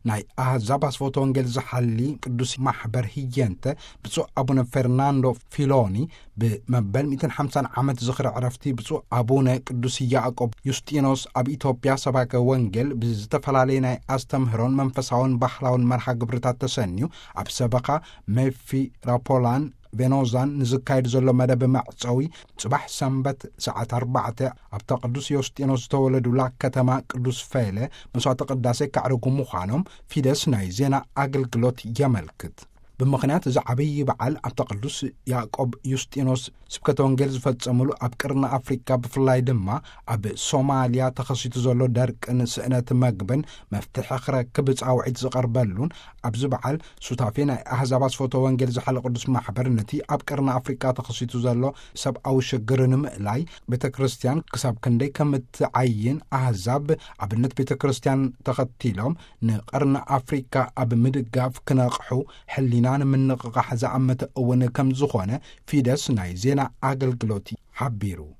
ናይ ኣህዛብ ኣስፈቶ ወንጌል ዝሓሊ ቅዱስ ማሕበር ህየንተ ብፁዕ ኣቡነ ፌርናንዶ ፊሎኒ ብመበል ሚእትን ሓምሳን ዓመት ዝኽሪ ዕረፍቲ ብፁዕ ኣቡነ ቅዱስ ያዕቆብ ዩስጢኖስ ኣብ ኢትዮጵያ ሰባከ ወንጌል ብዝተፈላለየ ናይ ኣስተምህሮን መንፈሳውን ባህላውን መርሃ ግብርታት ተሰንዩ ኣብ ሰበኻ ሜፊራፖላን ቬኖዛን ንዝካየድ ዘሎ መደብ መዕጸዊ ጽባሕ ሰንበት ሰዓት ኣርባዕተ ኣብታ ቅዱስ ዮስጢኖስ ዝተወለዱላ ከተማ ቅዱስ ፌለ መስዋዕተ ቅዳሴ ከዕርጉ ምዃኖም ፊደስ ናይ ዜና ኣገልግሎት የመልክት። ብምኽንያት እዚ ዓብዪ በዓል ኣብታ ቅዱስ ያዕቆብ ዩስጢኖስ ስብከተ ወንጌል ዝፈጸሙሉ ኣብ ቅርኒ ኣፍሪካ ብፍላይ ድማ ኣብ ሶማልያ ተኸሲቱ ዘሎ ደርቅን ስእነት መግብን መፍትሒ ክረክብ ጻውዒት ዝቐርበሉን ኣብዚ በዓል ሱታፌ ናይ ኣህዛብ ኣስፈቶ ወንጌል ዝሓለ ቅዱስ ማሕበር ነቲ ኣብ ቅርኒ ኣፍሪካ ተኸሲቱ ዘሎ ሰብኣዊ ሽግር ንምእላይ ቤተ ክርስቲያን ክሳብ ክንደይ ከም እትዓይን ኣህዛብ ኣብነት ቤተ ክርስቲያን ተኸቲሎም ንቅርኒ ኣፍሪካ ኣብ ምድጋፍ ክነቕሑ ሕሊና ንምንቕቓሕ ዝኣመተ እውን ከም ዝኾነ ፊደስ ናይ ዜና ኣገልግሎት ሓቢሩ።